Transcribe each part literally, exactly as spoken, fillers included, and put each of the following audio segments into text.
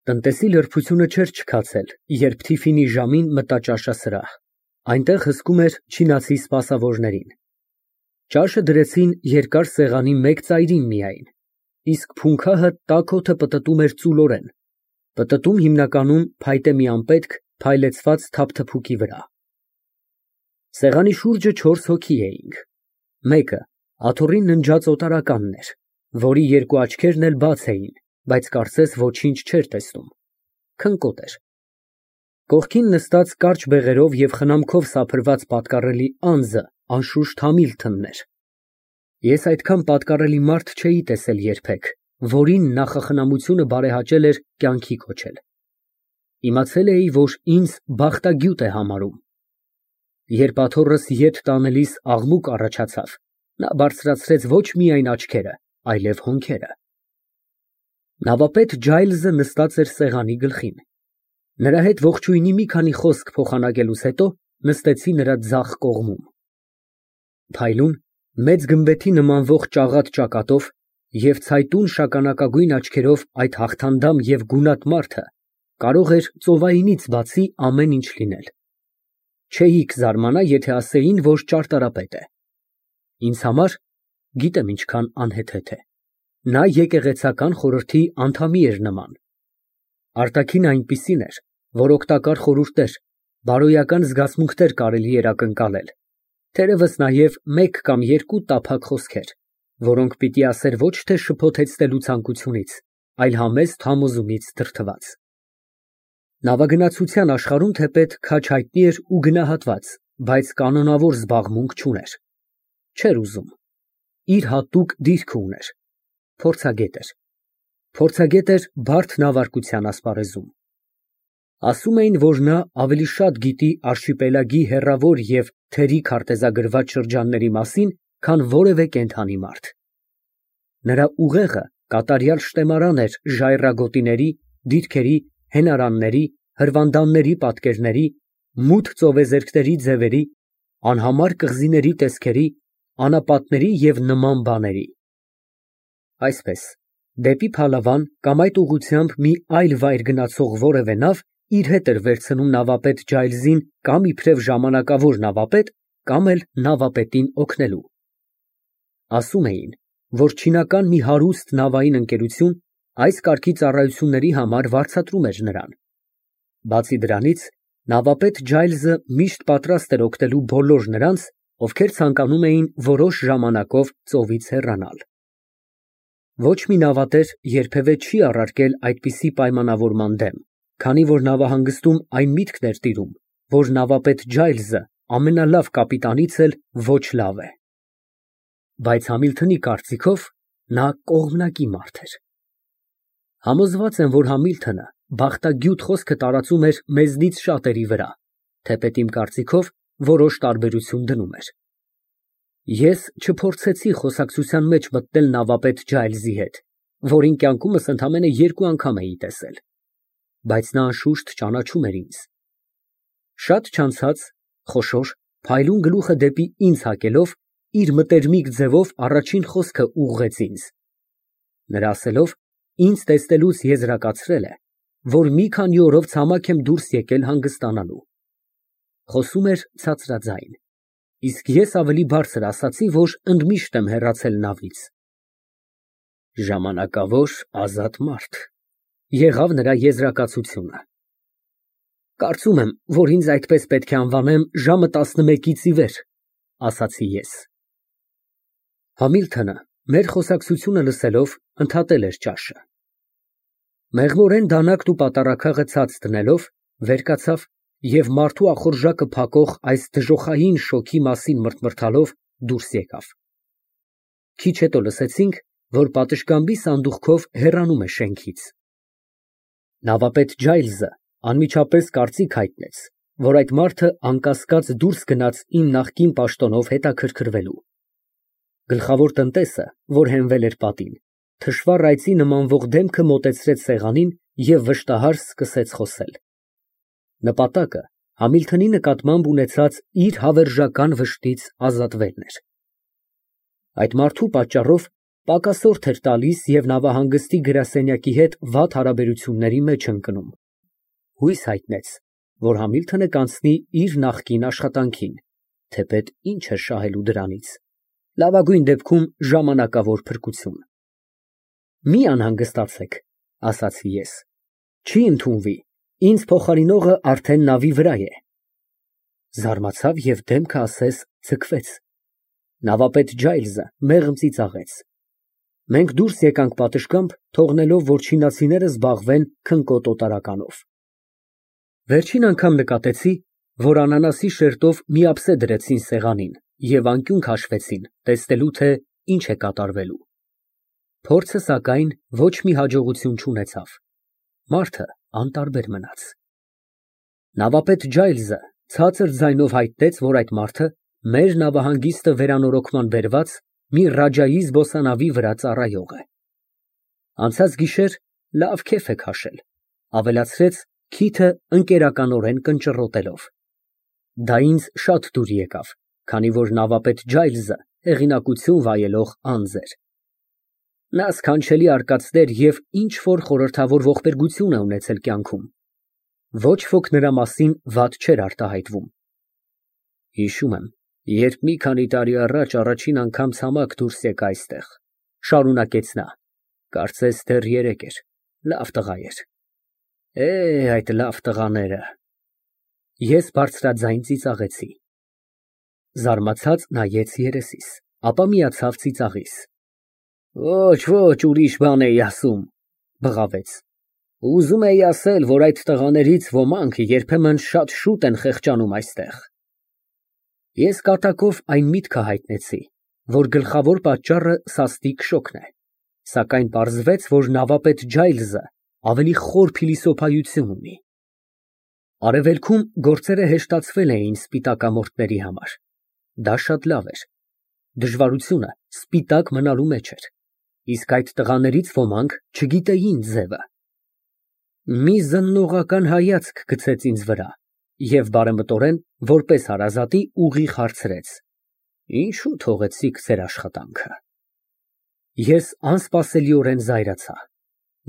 Տնտեսի լրբությունը չէր չքացել, երբ Թիֆինի ժամին մտա ճաշասրահ, այնտեղ հսկում էր չինացի սպասավորներին։ Ճաշը դրեցին երկար սեղանի մեկ ծայրին միայն, իսկ փունքահը տաք օդը պտտում էր ծուլորեն, պտտում հիմնականում փայտե մի անպետք փայլեցված թափթփուկի վրա։ Սեղանի շուրջը չորս հոգի էինք, մեկը աթոռին ննջած օտարականն էր, որի երկու աչքերն էլ բաց էին, բայց կարծես ոչինչ չէր տեսնում, քնկոտ էր։ Կողքին նստած կարճ բեղերով և խնամքով սափրված պատկառելի անձը անշուշտ Համիլթոնն էր։ Ես այդքան պատկառելի մարդ չէի տեսել երբեք, որին նախախնամությունը բարեհաճել էր կյանքի կոչել։ Իմացել էի, որ ինձ բախտագյուտ է համարում։ Երբ աթոռս ետ տանելիս աղմուկ առաջացավ, նա բարձրացրեց ոչ միայն աչքերը, այլև հոնքերը։ Նավապետ Ջայլզը նստած էր սեղանի գլխին։ Նրա հետ ողջույնի մի քանի խոսք փոխանակելուց հետո նստեցի նրա ձախ կողմում։ Փայլուն, մեծ գմբեթի նմանվող ճաղատ ճակատով և ցայտուն շագանակագույն աչքերով այդ հաղթանդամ և գունատ մարդը կարող էր ծովայինից բացի ամեն ինչ լինել։ Չէի կզարմանա, եթե ասեին, որ ճարտարապետ է։ Ինձ համար գիտեմ ինչքան անհեթեթ է։ Նա եկեղեցական խորհրդի անդամի էր նման։ Արտաքինը այնպիսին էր, որ օգտակար խորհուրդներ, բարոյական զգացմունքներ կարելի էր ակնկալել, թերևս նաև մեկ կամ երկու տափակ խոսքեր, որոնք պիտի ասեր ոչ թե շփոթեցնելու ցանկությունից, այլ համեստ համոզումից դրդված։ Նավագնացության աշխարհում թեպետ քաջ հայտնի էր ու գնահատված, բայց կանոնավոր զբաղմունք չուներ։ Չէր ուզում։ Իր հատուկ դիրքը ուներ։ Փորձագետ էր։ Փորձագետ էր բարդ նավարկության ասպարեզում։ Ասում էին, որ նա ավելի շատ գիտի արշիպելագի հեռավոր և թերի քարտեզագրված շրջանների մասին, քան որևէ կենդանի մարդ։ Նրա ուղեղը կատարյալ շտեմարան էր ժայռագոտիների, դիրքերի, հենարանների, հրվանդանների պատկերների, մութ ծովեզերքների ձևերի, անհամար կղզիների տեսքերի, անապատների և նման բաների։ Այսպես, դեպի Փալավան կամ այդ ուղղությամբ մի այլ վայր գնացող որևէ նավ իր հետ էր վերցնում նավապետ Ջայլզին կամ իբրև ժամանակավոր նավապետ, կամ էլ նավապետին օգնելու։ Ասում էին, որ չինական մի հարուստ նավային ընկերություն այս կարգի ծառայությունների համար վարձատրում էր նրան։ Բացի դրանից, նավապետ Ջայլզը միշտ պատրաստ էր օգնելու բոլոր նրանց, ովքեր ցանկանում էին որոշ ժամանակով ծովից հեռանալ։ Ոչ մի նավատեր երբևէ չի առարկել այդպիսի պայմանավորման դեմ, քանի որ նավահանգստում այն միտքն էր տիրում, որ նավապետ Ջայլզը ամենալավ կապիտանից էլ ոչ լավ է։ Բայց Համիլթոնի կարծիքով նա կողմնակի մարդ էր։ Համոզված եմ, որ Համիլթոնը բախտագյուտ խոսքը տարածում էր մեզնից շատերի վրա, թեպետ իմ կարծիքով որոշ տարբերություն դնում էր։ Ես չփորձեցի խոսակցության մեջ մտնել նավապետ Ջայլզի հետ, որին կյանքումս ընդամենը երկու անգամ էի տեսել, բայց նա անշուշտ ճանաչում էր ինձ։ Շատ չանցած, խոշոր, փայլուն գլուխը դեպի ինձ հակելով, իր մտերմիկ ձևով առաջին խոսքը ուղղեց ինձ։ Նրա ասելով, ինձ տեսնելուց եզրակացրել է, որ մի քանի օրով ցամաք եմ դուրս եկել հանգստանալու։ Խոսում էր ցածրաձայն, իսկ ես ավելի բարձր ասացի, որ ընդմիշտ եմ հեռացել նավից։ Ժամանակավոր ազատ մարդ, եղավ նրա եզրակացությունը։ Կարծում եմ, որ ինձ այդպես պետք է անվանեմ ժամը տասնմեկից ի վեր, ասացի ես։ Համիլթոնը, մեր խոսակցությունը լսելով, ընդհատել էր ճաշը։ Մեղմորեն դանակն ու պատառաքաղը ցած դնելով, վեր կացավ և մարդու ախորժակը փակող այս դժոխային շոգի մասին մռթմռթալով դուրս եկավ։ Քիչ հետո լսեցինք, որ պատշգամբի սանդուղքով հեռանում է շենքից։ Նավապետ Ջայլզը անմիջապես կարծիք հայտնեց, որ այդ մարդը անկասկած դուրս գնաց իմ նախկին պաշտոնով հետաքրքրվելու։ Գլխավոր տնտեսը, որ հենվել էր պատին, թշվառ այծի նմանվող դեմքը մոտեցրեց սեղանին և վշտահար սկսեց խոսել։ Նպատակը Համիլթոնի նկատմամբ ունեցած իր հավերժական վշտից ազատվելն էր։ Այդ մարդու պատճառով Պակասորդ էր տալիս և նավահանգստի գրասենյակի հետ վատ հարաբերությունների մեջ ընկնում։ Հույս հայտնեց, որ Համիլթոնը կանցնի իր նախկին աշխատանքին, թեպետ ինչ էր շահելու դրանից, լավագույն դեպքում ժամանակավոր փրկություն։ Մի անհանգստացեք, ասացի ես, չի ընդունվի, ինձ փոխարինողը արդեն նավի վրա է։ Զարմացավ և դեմքը ասես ձգվեց։ Նավապետ Ջայլզը մեղմ ծիծաղեց։ Մենք դուրս եկանք պատշգամբ, թողնելով, որ չինացիները զբաղվեն քնկոտ օտարականով։ Վերջին անգամ նկատեցի, որ անանասի շերտով մի ափսե դրեցին սեղանին և անկյուն քաշվեցին, տեսնելու, թե ինչ է կատարվելու։ Փորձը, սակայն, ոչ մի հաջողություն չունեցավ։ Մարդը անտարբեր մնաց։ Նավապետ Ջայլզը ցածր ձայնով հայտնեց, որ այդ մարդը մեր նավահանգիստը վերանորոգման բերված մի Ռաջայի զբոսանավի վրա ծառայող է։ Անցած գիշեր լավ քեֆ է քաշել, ավելացրեց քիթը ընկերականորեն կնճռոտելով։ Դա ինձ շատ դուր եկավ, քանի որ նավապետ Ջայլզը հեղինակություն վայելող անձ էր։ Նա սքանչելի արկածներ և ինչ֊որ խորհրդավոր ողբերգություն է ունեցել կյանքում։ Ոչ ոք նրա մասին վատ չէր արտահայտվում։ Հիշում եմ, երբ մի քանի տարի առաջ առաջին անգամ ցամաք դուրս եկա այստեղ, շարունակեց նա, կարծես դեռ երեկ էր, լավ տղա էր։ Է, այդ լավ տղաները։ Ես բարձրաձայն ծիծաղեցի։ Զարմացած նայեց երեսիս, ապա միացավ ծիծաղիս։ Ոչ, ոչ, ուրիշ բան էի ասում, բղավեց։ Ուզում էի ասել, որ այդ տղաներից ոմանք երբեմն շատ շուտ են խեղճանում այստեղ։ Ես կատակով այն միտքը հայտնեցի, որ գլխավոր պատճառը սաստիկ շոգն է, սակայն պարզվեց, որ նավապետ Ջայլզը ավելի խոր փիլիսոփայություն ունի։ Արևելքում գործերը հեշտացվել էին սպիտակամորթների համար։ Դա շատ լավ էր։ Դժվարությունը սպիտակ մնալու մեջ էր, իսկ այդ տղաներից ոմանք չգիտեին ձևը։ Մի զննողական հայացք գցեց ինձ վրա և բարեմտորեն, որպես հարազատի, ուղիղ հարցրեց. Ինչո՞ւ թողեցիք ձեր աշխատանքը։ Ես անսպասելիորեն զայրացա։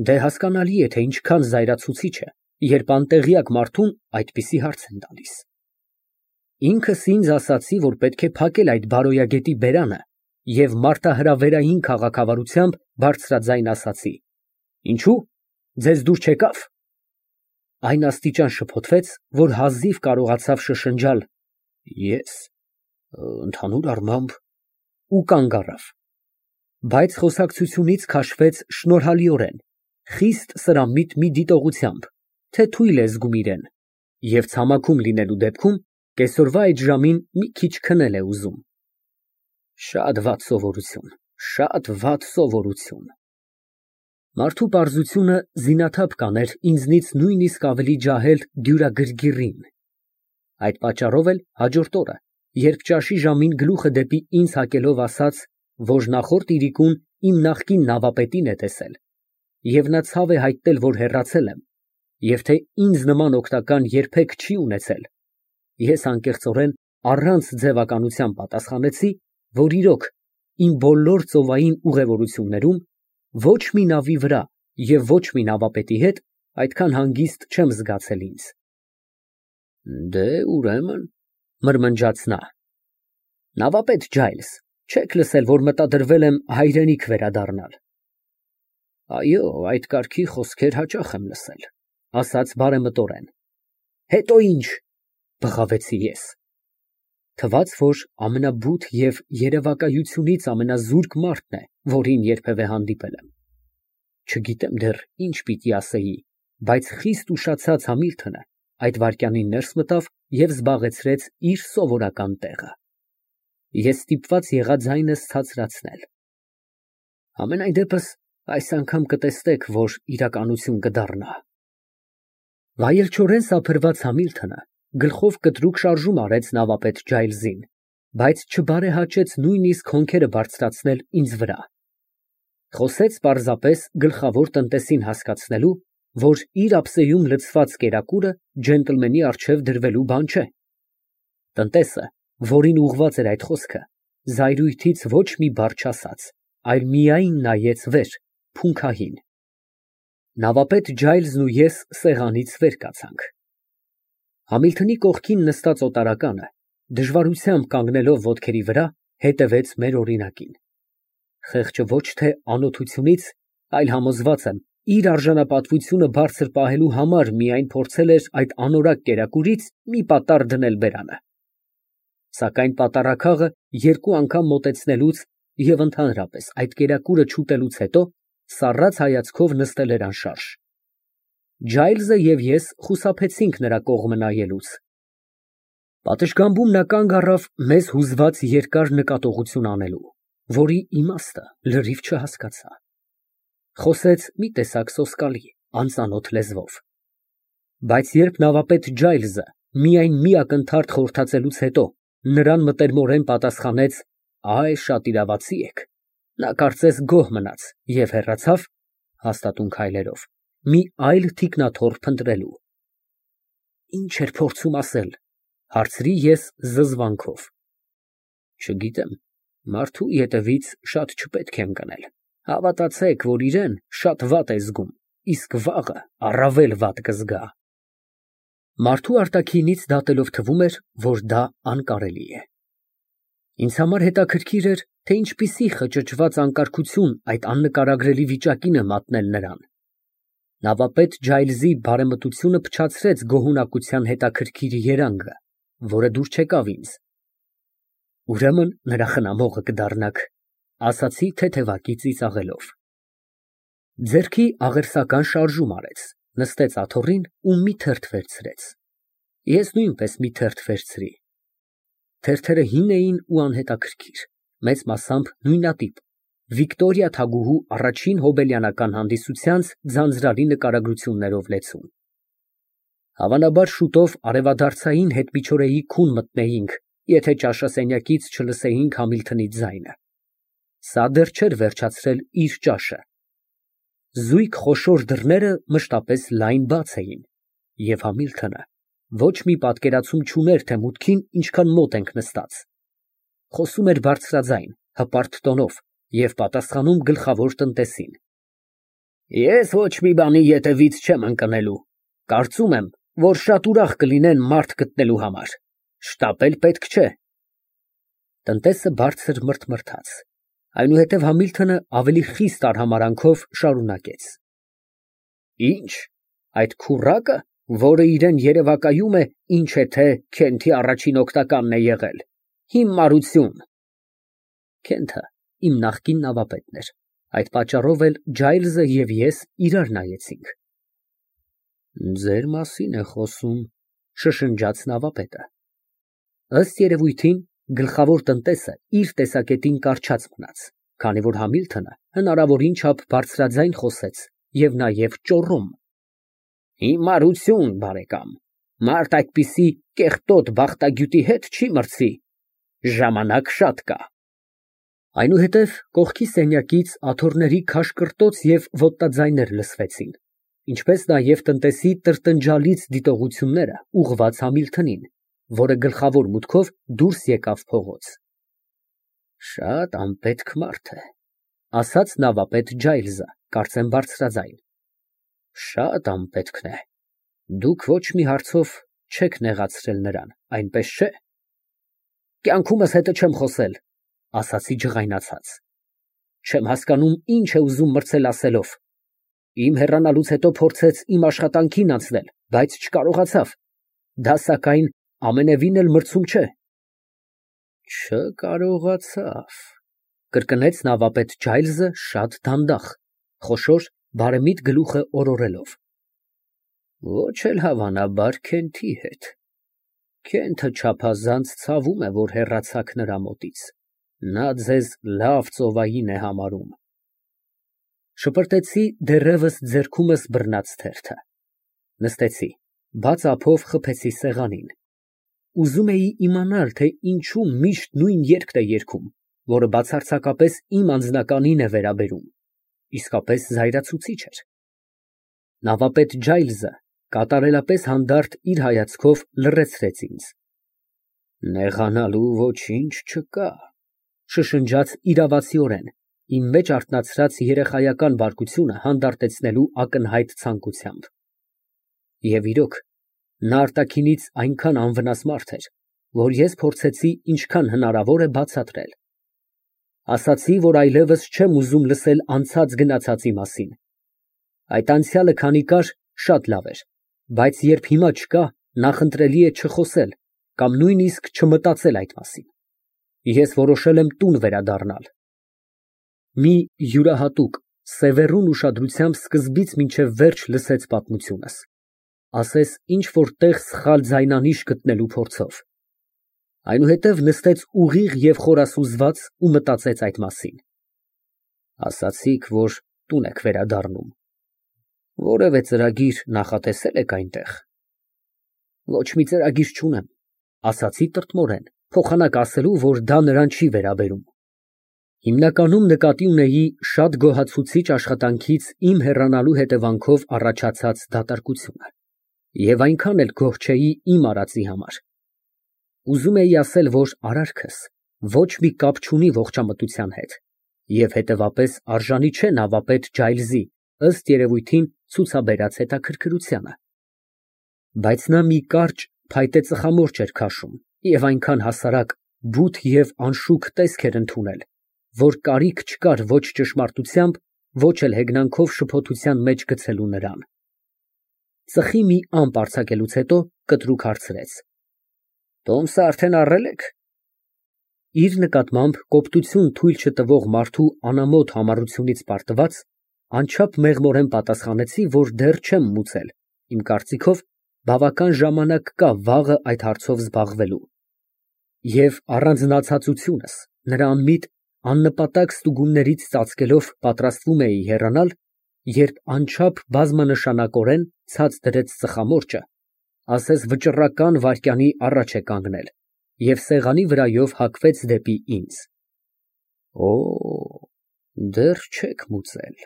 Դե հասկանալի է, թե ինչքան զայրացուցիչ է, երբ անտեղյակ մարդուն այդպիսի հարց են տալիս։ Ինքս ինձ ասացի, որ պետք է փակել այդ բարոյագետի բերանը և մարտահրավերային քաղաքավարությամբ բարձրաձայն ասացի. Ինչո՞ւ, ձեզ դուր չեկավ։ Այն աստիճան շփոթվեց, որ հազիվ կարողացավ շշնջալ. Ես, ընդհանուր առմամբ, ու կանգ առավ։ Բայց խոսակցությունից քաշվեց շնորհալիորեն, խիստ սրամիտ մի դիտողությամբ, թե թույլ է զգում իրեն, և ցամաքում լինելու դեպքում կեսօրվա այդ ժամին մի քիչ քնել է ուզում։ Շատ վատ սովորություն, շատ վատ սովորություն։ Մարդու պարզությունը զինաթափ կաներ ինձնից նույնիսկ ավելի ջահել դյուրագրգիռին։ Այդ պատճառով էլ հաջորդ օրը, երբ ճաշի ժամին գլուխը դեպի ինձ հակելով ասաց, որ նախորդ իրիկուն իմ նախկին նավապետին է տեսել, և նա ցավ է հայտնել, որ հեռացել եմ, և թե ինձ նման օգնական երբեք չի ունեցել, ես անկեղծորեն առանց ձևականության պատասխանեցի, որ իրոք, իմ բոլոր ծովային ուղևորություններում ոչ մի նավի վրա և ոչ մի նավապետի հետ այդքան հանգիստ չեմ զգացել ինձ։ Դե, ուրեմն, մրմնջաց նա, նավապետ Ջայլզ, չեք լսել, որ մտադրվել եմ հայրենիք վերադառնալ։ Այո, այդ կարգի խոսքեր հաճախ եմ լսել, ասաց բարեմտորեն։ Հետո ինչ, բղավեցի ես։ Թվաց, որ ամենաբութ և երևակայությունից ամենազուրկ մարդն է, որին երբևէ հանդիպել եմ։ Չգիտեմ դեռ ինչ պիտի ասեի, բայց խիստ ուշացած Համիլթոնը այդ վայրկյանին ներս մտավ և զբաղեցրեց իր սովորական տեղը։ Ես ստիպված եղա ձայնս ցածրացնել։ Համենայն դեպս, այս անգամ կտեսնեք, որ իրականություն կդառնա։ Վայելչորեն սափրված Համիլթոնը գլխով կտրուկ շարժում արեց նավապետ Ջայլզին, բայց չբարեհաճեց նույնիսկ հոնքերը բարձրացնել ինձ վրա։ Խոսեց պարզապես գլխավոր տնտեսին հասկացնելու, որ իր ափսեում լցված կերակուրը ջենտլմենի առջև դրվելու բան չէ։ Տնտեսը, որին ուղղված էր այդ խոսքը, զայրույթից ոչ մի բառ չասաց, այլ միայն նայեց վեր, փունքահին։ Նավապետ Ջայլզն ու ես սեղանից վեր կացանք։ Համիլթոնի կողքին նստած օտարականը, դժվարությամբ կանգնելով ոտքերի վրա, հետևեց մեր օրինակին։ Խեղճը ոչ թե անօթությունից, այլ համոզված եմ, իր արժանապատվությունը բարձր պահելու համար միայն փորձել էր այդ անորակ կերակուրից մի պատառ դնել բերանը։ Սակայն պատառաքաղը երկու անգամ մոտեցնելուց և ընդհանրապես այդ կերակուրը չուտելուց հետո սառած հայացքով նստել էր անշարժ։ Ջայլզը և ես խուսափեցինք նրա կողմը նայելուց։ Պատշգամբում նա կանգ առավ մեզ հուզված երկար նկատողություն անելու, որի իմաստը լրիվ չհասկացա։ Խոսեց մի տեսակ սոսկալի, անծանոթ լեզվով։ Բայց երբ նավապետ Ջայլզը միայն մի ակնթարթ խորհրդածելուց հետո նրան մտերմորեն պատասխանեց «Այ, շատ իրավացի եք», նա կարծես գոհ մնաց և հեռացավ (հաստատուն քայլերով) մի այլ թիկնաթոռ փնտրելու։ «Ի՞նչ էր փորձում ասել», հարցրի ես զզվանքով։ Չգիտեմ, մարդու ետևից շատ չպետք է ընկնել, հավատացեք, որ իրեն շատ վատ է զգում, իսկ վաղը առավել վատ կզգա։ Մարդու արտաքինից դատելով թվում էր, որ դա անկարելի է։ Ինձ համար հետաքրքիր էր, թե ինչպիսի խճճված անկարգություն այդ աննկարագրելի վիճակին է մատնել նրան։ Նավապետ Ջայլզի բարեմտությունը փչացրեց գոհունակության հետաքրքիր երանգը, որը դուր չեկավ ինձ։ Ուրեմն նրա խնամողը կդառնաք, ասացի թեթևակի ծիծաղելով։ Ձեռքի աղերսական շարժում արեց, նստեց աթոռին ու մի թերթ վերցրեց։ Ես նույնպես մի թերթ վերցրի։ Թերթերը հին էին ու անհետաքրքիր, մեծ մասամբ նույնատիպ, Վիկտորիա թագուհու առաջին հոբելյանական հանդիսությանց ձանձրալի նկարագրություններով լեցուն։ Հավանաբար շուտով արևադարձային հետմիջօրեի քուն մտնեինք, եթե ճաշասենյակից չլսեինք Համիլթոնի ձայնը։ Սա դեռ չէր վերջացրել իր ճաշը։ Զույգ խոշոր դռները մշտապես լայն բաց էին, և Համիլթոնը ոչ մի պատկերացում չուներ, թե մուտքին ինչքան մոտ ենք նստած։ Խոսում էր բարձրաձայն, հպարտ տոնով և պատասխանում գլխավոր տնտեսին։ Ես ոչ մի բանի ետևից չեմ ընկնելու, կարծում եմ, որ շատ ուրախ կլինեն մարդ գտնելու համար, շտապել պետք չէ։ Տնտեսը բարձր մռթմռթաց, այնուհետև Համիլթոնը ավելի խիստ արհամարհանքով շարունակեց. Ի՞նչ, այդ քուռակը, որը իրան երևակայում է, ինչ է թե Քենթի առաջին օգնականն է եղել, հիմարություն։ Քենթը իմ նախկին նավապետն էր, այդ պատճառով էլ Ջայլզը և ես իրար նայեցինք։ Ձեր մասին է խոսում, շշնջաց նավապետը։ Ըստ երևույթին, գլխավոր տնտեսը իր տեսակետին կառչած մնաց, քանի որ Համիլթոնը հնարավորին չափ բարձրաձայն խոսեց և նաև ճոռոմ։ Հիմարություն, բարեկամ, մարդ այդպիսի կեղտոտ բախտագյուտի հետ չի մրցի, ժամանակ շատ կա։ Այնուհետև կողքի սենյակից աթոռների քաշկրտոց և ոտնաձայներ լսվեցին, ինչպես նաև տնտեսի տրտնջալից դիտողությունները ուղղված Համիլթոնին, որը գլխավոր մուտքով դուրս եկավ փողոց։ Շատ անպետք մարդ է, ասաց նավապետ Ջայլզը, կարծեմ բարձրաձայն։ Շատ անպետքն է, դուք ոչ մի հարցով չեք նեղացրել նրան, այնպես չէ։ Կյանքումս հետը չեմ խոսել, ասացի ջղայնացած։ Չեմ հասկանում, ինչ է ուզում մրցել ասելով։ Իմ հեռանալուց հետո փորձեց իմ աշխատանքին անցնել, բայց չկարողացավ։ Դա սակայն ամենևին էլ մրցում չէ։ Չկարողացավ, կրկնեց նավապետ Ջայլզը շատ դանդաղ, խոշոր, բարեմիտ գլուխը օրորելով։ Ոչ էլ հավանաբար Քենթի հետ։ Քենթը չափազանց ցավում է, որ հեռացաք նրա մոտից, նա ձեզ լավ ծովային է համարում։ Շպրտեցի դեռևս ձեռքումս բռնած թերթը։ Նստեցի, բաց ափով խփեցի սեղանին։ Ուզում էի իմանալ, թե ինչու միշտ նույն երգն է երգում, որը բացարձակապես իմ անձնականին է վերաբերում, իսկապես զայրացուցիչ էր։ Նավապետ Ջայլզը կատարելապես հանդարտ իր հայացքով լռեցրեց ինձ։ Նեղանալու ոչինչ չկա, շշնջաց իրավացիորեն Իմ մեջ արթնացրած երեխայական բարկությունը հանդարտեցնելու ակնհայտ ցանկությամբ։ Եվ իրոք, նա արտաքինից այնքան անվնաս մարդ էր, որ ես փորձեցի ինչքան հնարավոր է բացատրել։ Ասացի, որ այլևս չեմ ուզում լսել անցած գնացածի մասին։ Այդ անցյալը քանի կար, շատ լավ էր, բայց երբ հիմա չկա, նախընտրելի է չխոսել կամ նույնիսկ չմտածել այդ մասին։ Ես որոշել եմ տուն վերադառնալ։ Մի յուրահատուկ, սևեռուն ուշադրությամբ սկզբից մինչև վերջ լսեց պատմությունս, ասես ինչ֊որ տեղ սխալ ձայնանիշ գտնելու փորձով, այնուհետև նստեց ուղիղ և խորասուզված ու մտածեց այդ մասին։ Ասացիք, որ տուն եք վերադառնում, որևէ ծրագիր նախատեսե՞լ եք այնտեղ։ Ոչ մի ծրագիր չունեմ, ասացի տրտմորեն, փոխանակ ասելու, որ դա նրան չի վերաբերում։ Հիմնականում նկատի ունեի շատ գոհացուցիչ աշխատանքից իմ հեռանալու հետևանքով առաջացած դատարկությունը, և այնքան էլ գոհ չէի իմ արածի համար։ Ուզում էի ասել, որ արարքս ոչ մի կապ չունի ողջամտության հետ, և հետևապես արժանի չէ նավապետ Ջայլզի, ըստ երևույթին, ցուցաբերած հետաքրքրությանը։ Բայց նա մի կարճ, փայտե ծխամորճ էր քաշում և այնքան հասարակ, բութ և անշուք տեսք էր ընդունել, որ կարիք չկար ոչ ճշմարտությամբ, ոչ էլ հեգնանքով շփոթության մեջ գցելու նրան։ Ծխի մի ամպ արձակելուց հետո կտրուկ հարցրեց. Տոմսը արդեն առե՞լ եք։ Իր նկատմամբ կոպտություն թույլ չտվող մարդու անամոթ համառությունից պարտված, անչափ մեղմորեն պատասխանեցի, որ դեռ չեմ մուծել, իմ կարծիքով, բավական ժամանակ կա վաղը այդ հարցով զբաղվելու։ Եվ առանձնացածությունս, նրա անմիտ, աննպատակ ստուգումներից ծածկելով պատրաստվում էի հեռանալ, երբ անչափ բազմանշանակորեն ցած դրեց ծխամորճը, ասես վճռական վայրկյանի առաջ է կանգնել և սեղանի վրայով հագվեց դեպի ինձ։ Օ, դեռ չեք մուծել,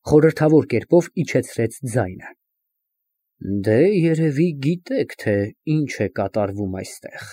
խորհրդավոր կերպով իջեցրեց ձայնը։ Դե, երևի գիտեք, թե ինչ է կատարվում այստեղ։